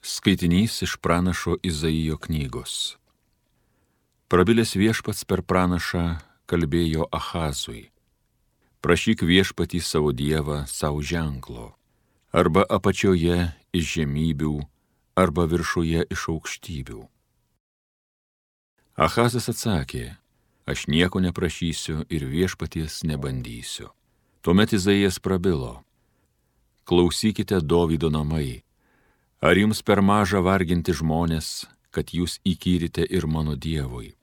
Skaitinys iš pranašo Izaijo knygos. Prabilęs viešpats per pranašą kalbėjo Ahazui. Prašyk viešpatį savo dievą savo ženklo, arba apačioje iš žemybių, arba viršuje iš aukštybių. Ahazas atsakė, aš nieko neprašysiu ir viešpaties nebandysiu. Tuomet Izaijas prabilo, klausykite Dovydo namai, ar jums per maža varginti žmonės, kad jūs įkyrite ir mano dievui?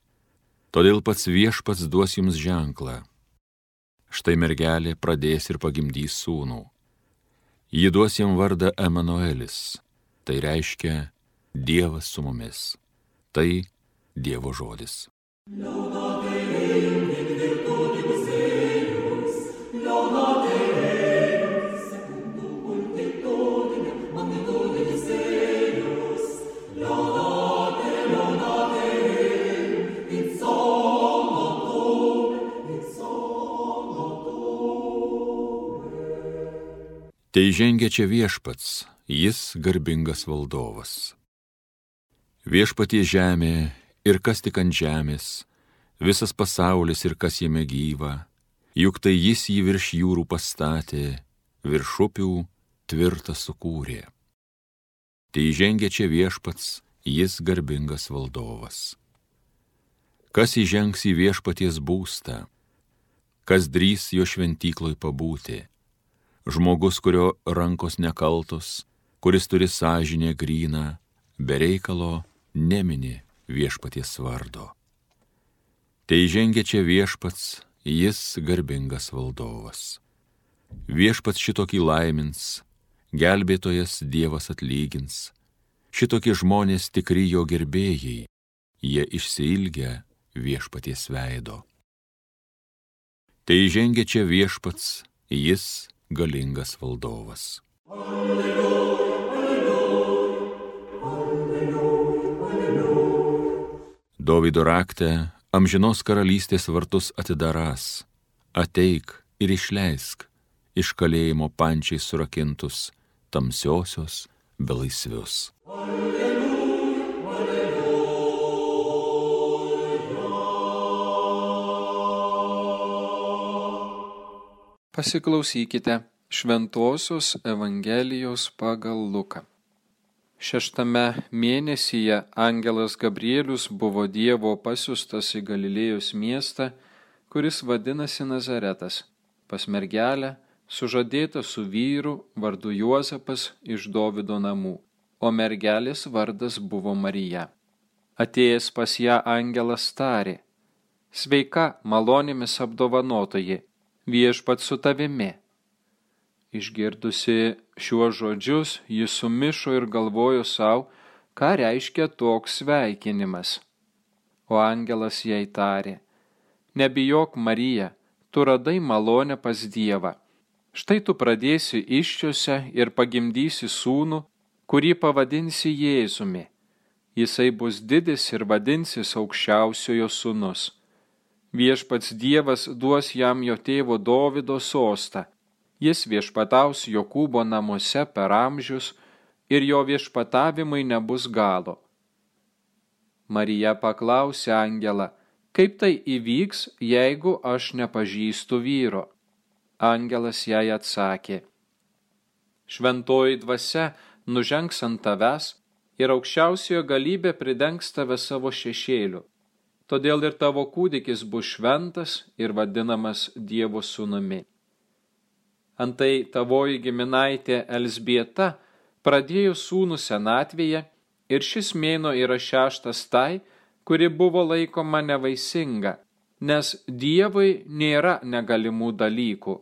Todėl pats viešpats duos jums ženklą. Štai mergelė pradės ir pagimdys sūnų. Ji duos jam vardą Emanuelis, tai reiškia Dievas su mumis. Tai Dievo žodis. Tai žengia čia viešpats, jis garbingas valdovas. Viešpatie žemė ir kas tik ant žemės, visas pasaulis ir kas jame gyva, juk tai jis jį virš jūrų pastatė, virš upių tvirtą sukūrė. Tai žengia čia viešpats, jis garbingas valdovas. Kas įžengs į viešpaties būstą, kas drįs jo šventykloj pabūti? Žmogus, kurio rankos nekaltos, kuris turi sąžinę gryną, be reikalo nemini viešpaties vardo. Tai žengia čia viešpats, jis garbingas valdovas. Viešpats šitokį laimins, gelbėtojas Dievas atlygins, šitokie žmonės tikri jo gerbėjai, jie išsiilgia viešpaties veido. Tai žengia čia viešpats, jis galingas valdovas. Alleluja, alleluja, alleluja, alleluja. Dovydo rakte amžinos karalystės vartus atidarás, ateik ir išleisk iš kalėjimo pančiai surakintus tamsiosios belaisvius. Alleluja, alleluja. Pasiklausykite Šventosios Evangelijos pagal Luką. 6 mėnesyje angelas Gabrielius buvo Dievo pasiųstas į Galilėjos miestą, kuris vadinasi Nazaretas, pas mergelę, sužadėtą su vyru vardu Juozapas iš Dovydo namų, o mergelės vardas buvo Marija. Atėjęs pas ją angelas tarė, sveika, malonėmis apdovanotoji, viešpats su tavimi. Išgirdusi šiuos žodžius, ji sumišo ir galvojo sau, ką reiškia toks sveikinimas. O angelas jai tarė, nebijok Marija, tu radai malonę pas Dievą. Štai tu pradėsi įsčiose ir pagimdysi sūnų, kurį pavadinsi Jėzumi. Jisai bus didis ir vadinsis aukščiausiojo sūnus. Viešpats Dievas duos jam jo tėvo Dovydo sostą. Jis viešpataus Jokūbo namuose per amžius ir jo viešpatavimai nebus galo. Marija paklausė angelą, kaip tai įvyks, jeigu aš nepažįstu vyro? Angelas jai atsakė, šventoji dvasia nužengs ant tavęs ir aukščiausiojo galybė pridengs tave savo šešėliu. Todėl ir tavo kūdikis bus šventas ir vadinamas Dievo sūnumi. Antai tavoji giminaitė Elzbieta pradėjo sūnų senatvėje ir šis mėnuo yra 6 tai, kuri buvo laikoma nevaisinga, nes Dievui nėra negalimų dalykų.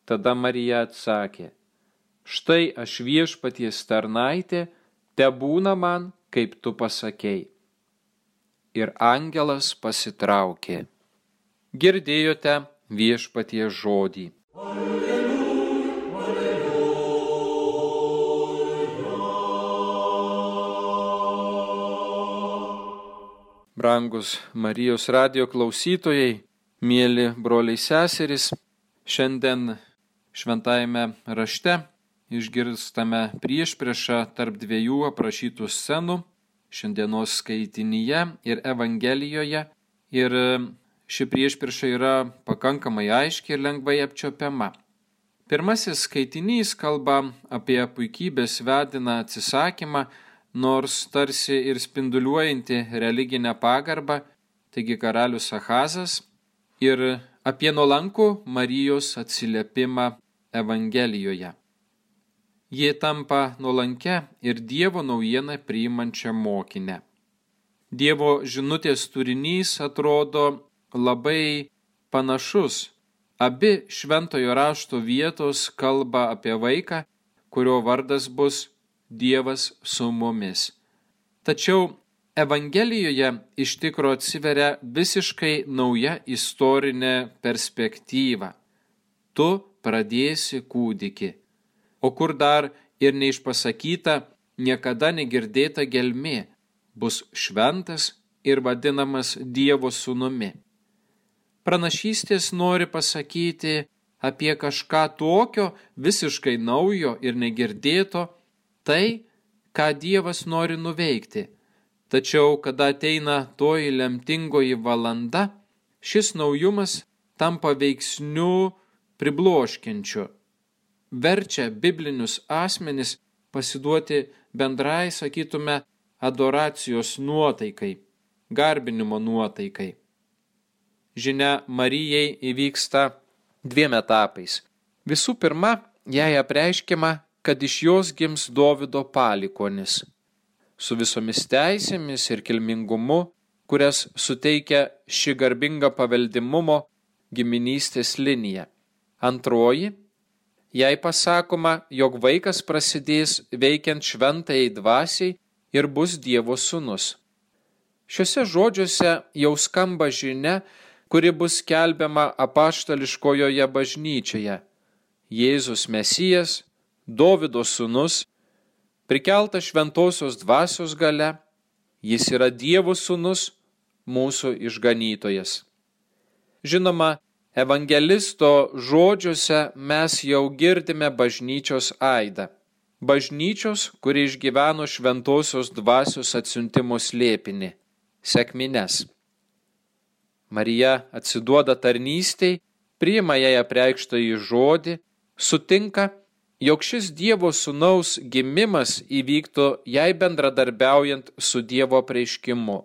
Tada Marija atsakė, štai aš viešpaties tarnaitė, tebūna man, kaip tu pasakei. Ir angelas pasitraukė. Girdėjote viešpaties žodį. Alleluja, alleluja. Brangus Marijos radijo klausytojai, mieli broliai seserys, šiandien šventajame rašte išgirstame priešpriešą tarp dviejų aprašytų scenų šiandienos skaitinyje ir Evangelijoje. Ir ši priešprieša yra pakankamai aiški ir lengvai apčiopiama. Pirmasis skaitinys kalba apie puikybės vediną atsisakymą, nors tarsi ir spinduliuojanti religinę pagarbą, taigi karalius Ahazas, ir apie nuolankų Marijos atsiliepimą Evangelijoje. Ji tampa nuolankia ir Dievo naujieną priimančią mokinę. Dievo žinutės turinys atrodo labai panašus. Abi šventojo rašto vietos kalba apie vaiką, kurio vardas bus Dievas su mumis. Tačiau Evangelijoje iš tikro atsiveria visiškai nauja istorinė perspektyva. Tu pradėsi kūdikį. O kur dar ir neišpasakyta, niekada negirdėta gelmė, bus šventas ir vadinamas Dievo sūnumi. Pranašystės nori pasakyti apie kažką tokio, visiškai naujo ir negirdėto, tai, ką Dievas nori nuveikti. Tačiau, kada ateina toji lemtingoji valanda, šis naujumas tampa veiksniu pribloškiančiu. Verčia biblinius asmenis pasiduoti bendrai, sakytume, adoracijos nuotaikai, garbinimo nuotaikai. Žinia Marijai įvyksta dviem etapais. Visų pirma, jai apreiškiama, kad iš jos gims Dovydo palikuonis, su visomis teisėmis ir kilmingumu, kurias suteikia ši garbinga paveldimumo giminystės linija. Antroji, jai pasakoma, jog vaikas prasidės veikiant šventajai dvasiai ir bus Dievo sūnus. Šiuose žodžiuose jau skamba žinia, kuri bus skelbiama apaštališkojoje bažnyčioje. Jėzus Mesijas, Dovydo sūnus, prikeltas šventosios dvasios galia, jis yra Dievo sūnus, mūsų išganytojas. Žinoma, evangelisto žodžiuose mes jau girdime bažnyčios aidą. Bažnyčios, kuri išgyveno šventosios dvasios atsiuntimo slėpinį – sekmines. Marija atsiduoda tarnystei, priima jai apreikštąjį žodį, sutinka, jog šis Dievo sūnaus gimimas įvyktų jai bendradarbiaujant su Dievo apreiškimu.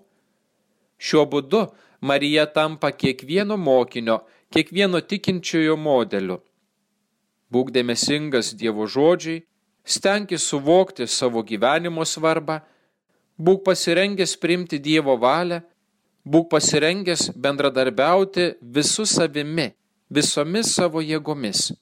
Šiuo būdu Marija tampa kiekvieno mokinio, kiekvieno tikinčiojo modeliu. Būk dėmesingas Dievo žodžiai, stenkis suvokti savo gyvenimo svarbą, būk pasirengęs priimti Dievo valią, būk pasirengęs bendradarbiauti visu savimi, visomis savo jėgomis.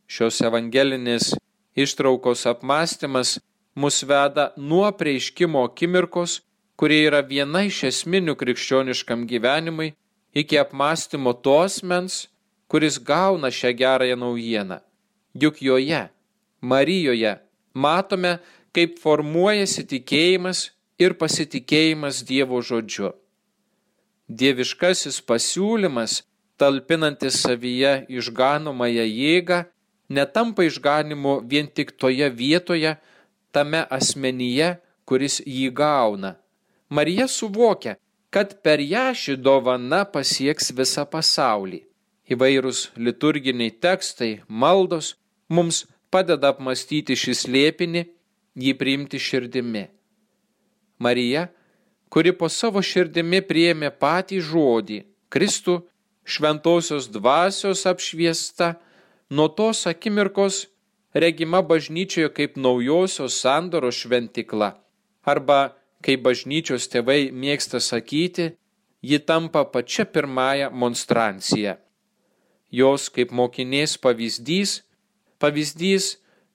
Šios evangelinės ištraukos apmąstymas mus veda nuo apreiškimo akimirkos, kurie yra viena iš esminių krikščioniškam gyvenimui, iki apmąstymo to asmens, kuris gauna šią gerąją naujieną. Juk joje, Marijoje, matome, kaip formuojasi tikėjimas ir pasitikėjimas Dievo žodžiu. Dieviškasis pasiūlymas, talpinantis savyje išganomąją jėgą, netampa išganimu vien tik toje vietoje, tame asmenyje, kuris jį gauna. Marija suvokia, kad per ją ši dovana pasieks visą pasaulį. Įvairūs liturginiai tekstai, maldos mums padeda apmąstyti šį slėpinį, jį priimti širdimi. Marija, kuri po savo širdimi priėmė patį žodį, Kristų, šventosios dvasios apšviesta, nuo tos akimirkos regima bažnyčioje kaip naujosios sandoros šventikla, arba, kaip bažnyčios tėvai mėgsta sakyti, ji tampa pačia pirmąja monstrancija. Jos kaip mokinės pavyzdys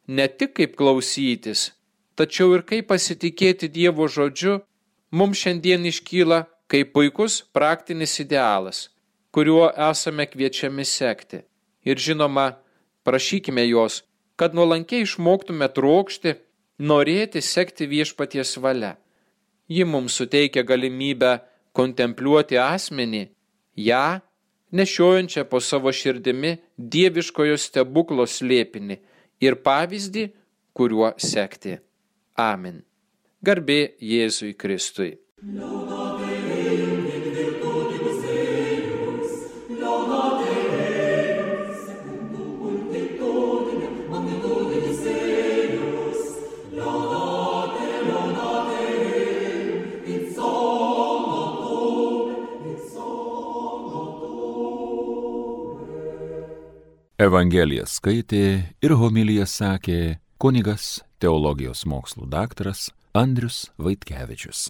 ne tik kaip klausytis, tačiau ir kaip pasitikėti Dievo žodžiu, mums šiandien iškyla kaip puikus praktinis idealas, kuriuo esame kviečiami sekti. Ir žinoma, prašykime jos, kad nuolankiai išmoktume trokšti, norėti sekti viešpaties valia. Ji mums suteikia galimybę kontempliuoti asmenį, ją, nešiojančią po savo širdimi dieviškojo stebuklo slėpinį, ir pavyzdį, kuriuo sekti. Amen. Garbė Jėzui Kristui. Evangeliją skaitė ir homiliją sakė kunigas, teologijos mokslų daktaras Andrius Vaitkevičius.